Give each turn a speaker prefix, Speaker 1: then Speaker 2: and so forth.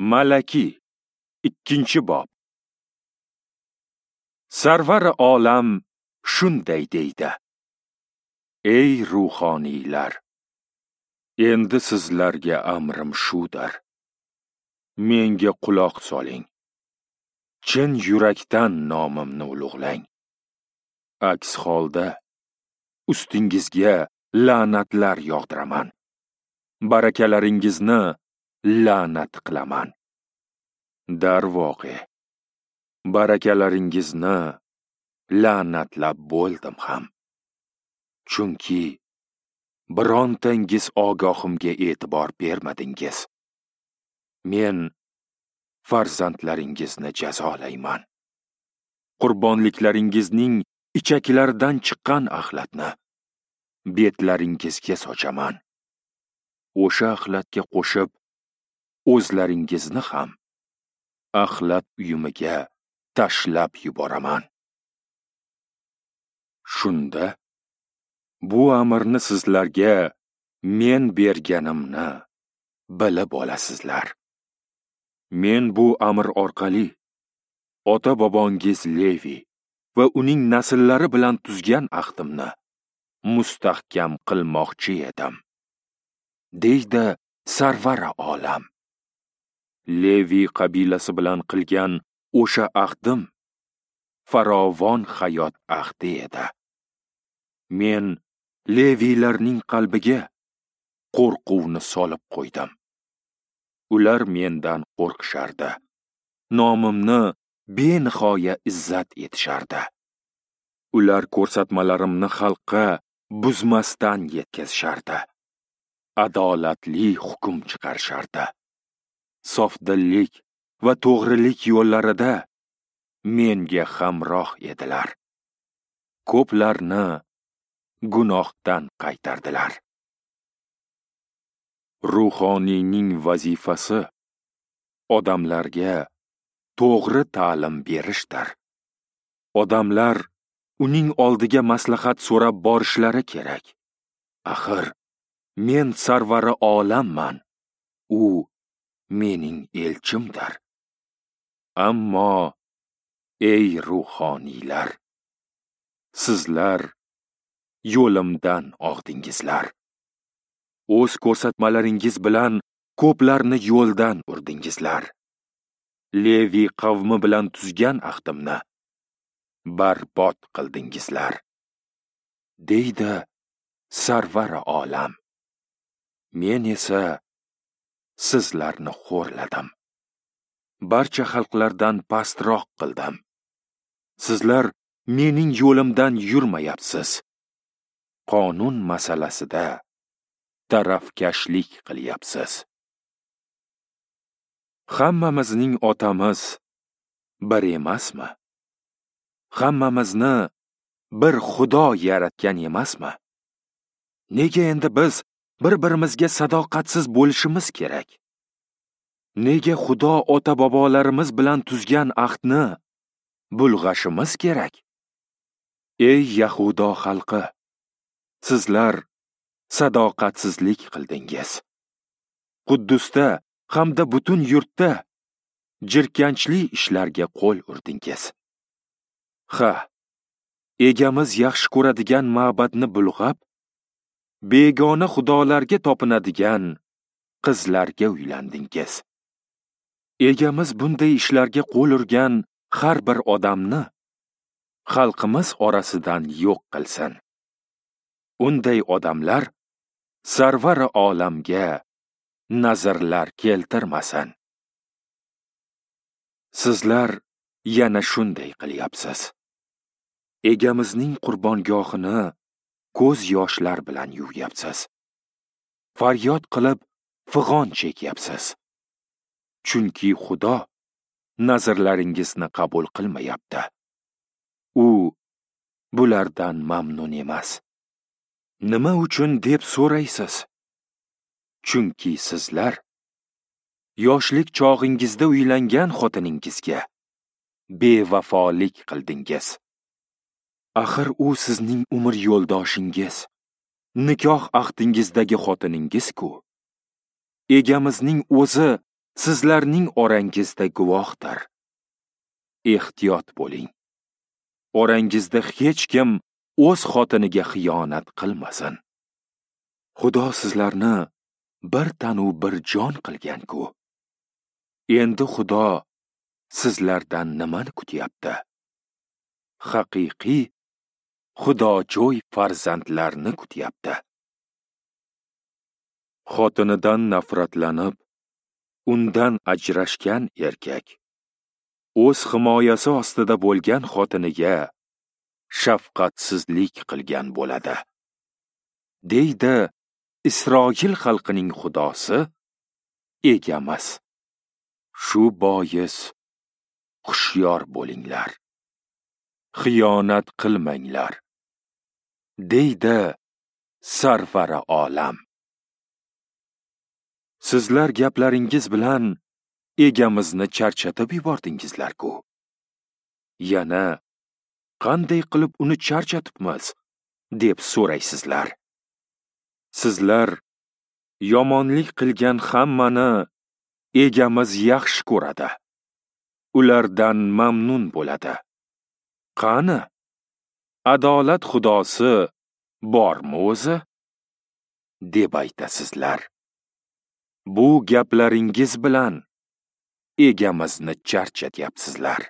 Speaker 1: Malaki 2-bob. Sarvar olam shunday deydi: Ey ruhoniylar, endi sizlarga amrim shudir. Menga quloq soling. Chin yurakdan nomimni ulug'lang. Aks holda ustingizga la'natlar yog'diraman. Barakalaringizni la'nat qilaman. Darvoqe, barakalaringizni la'natlab bo'ldim ham. Chunki birontangiz ogohimga e'tibor bermadingiz. Men farzandlaringizni jazolayman. Qurbonliklaringizning ichaklaridan chiqqan axlatni betlaringizga sochaman. O'sha axlatga qo'shib o'zlaringizni ham axlat uyumiga tashlab yuboraman. Shunda bu amrni sizlarga men berganimni bilib olasizlar. Men bu amr orqali ota-bobongiz Levi va uning nasllari bilan tuzgan ahdimni mustahkam qilmoqchi edim, deydi Sarvar olam. Levi qabilasi bilan qilgan o'sha ahdim farovon hayot ahdi edi. Men Leviylarning qalbiga qo'rquvni solib qo'ydim. Ular mendan qo'rqishardi. Nomimni benihoya izzat etishardi. Ular ko'rsatmalarimni xalqqa buzmasdan yetkazishardi. Adolatli hukm chiqarishardi. Sofdillik va to'g'rilik yo'llarida menga hamroh edilar. Ko'plarni gunohdan qaytardilar. Ruhoniyning vazifasi odamlarga to'g'ri ta'lim berishdir. Odamlar uning oldiga maslahat so'rab borishlari kerak. Axir men sarvari olamman, u mening elchimdir. Ammo ey ruhoniylar, sizlar yo'limdan og'dingizlar. O'z ko'rsatmalaringiz bilan ko'plarni yo'ldan urdingizlar. Levi qavmi bilan tuzgan ahdimni barbod qildingizlar, deydi Sarvar olam. Men esa sizlarni xo'rladim. Barcha xalqlardan pastroq qildim. Sizlar mening yo'limdan yurmayapsiz. Qonun masalasida tarafkashlik qilyapsiz. Hammamizning otamiz bir emasmi? Hammamizni bir Xudo yaratgan emasmi? Nega endi biz bir-birimizga sadoqatsiz bo'lishimiz kerak? Nega Xudo ota-bobolarimiz bilan tuzgan ahdni bulg'ashimiz kerak? Ey Yahudo xalqi, sizlar sadoqatsizlik qildingiz. Quddusda hamda butun yurtda jirkanchli ishlarga qo'l urdingiz. Ha, egamiz yaxshi ko'radigan ma'badni bulg'ab, begona xudolarga topinadigan qizlarga uylandingiz. Egamiz bunday ishlarga qo'l urgan har bir odamni xalqimiz orasidan yo'q qilsin. Unday odamlar Sarvar olamga nazrlar keltirmasin. Sizlar yana shunday qilyapsiz. Egamizning qurbongohini ko'z yoshlar bilan yuvyapsiz. Faryod qilib fig'on chekyapsiz. Chunki Xudo nazrlaringizni qabul qilmayapti. U bulardan mamnun emas. Nima uchun deb so'raysiz? Chunki sizlar yoshlik chog'ingizda uylangan xotiningizga bevafolik qildingiz. Axir u sizning umr yo'ldoshingiz, nikoh ahdingizdagi xotiningiz-ku. Egamizning o'zi sizlarning orangizda guvohdir. Ehtiyot bo'ling. Orangizda hech kim o'z xotiniga xiyonat qilmasin. Xudo sizlarni bir tanu bir jon qilgan-ku. Endi Xudo sizlardan nimani kutyapti? Haqiqiy xudojo'y farzandlarni kutyapti. Xotinidan nafratlanib, undan ajrashgan erkak o'z himoyasi ostida bo'lgan xotiniga shafqatsizlik qilgan bo'ladi, deydi Isroil xalqining Xudosi Egamiz. Shu bois hushyor bo'linglar, xiyonat qilmanglar, deydi Sarvari olam. Sizlar gaplaringiz bilan Egamizni charchatib yubordingizlar-ku. Yana qanday qilib uni charchatibmiz, deb so'raysizlar. Sizlar yomonlik qilgan hammani Egamiz yaxshi ko'radi, ulardan mamnun bo'ladi. Qani, adolat Xudosi bormi o'zi? Deb aytasizlar. Bu gaplaringiz bilan Egamizni charchatyapsizlar.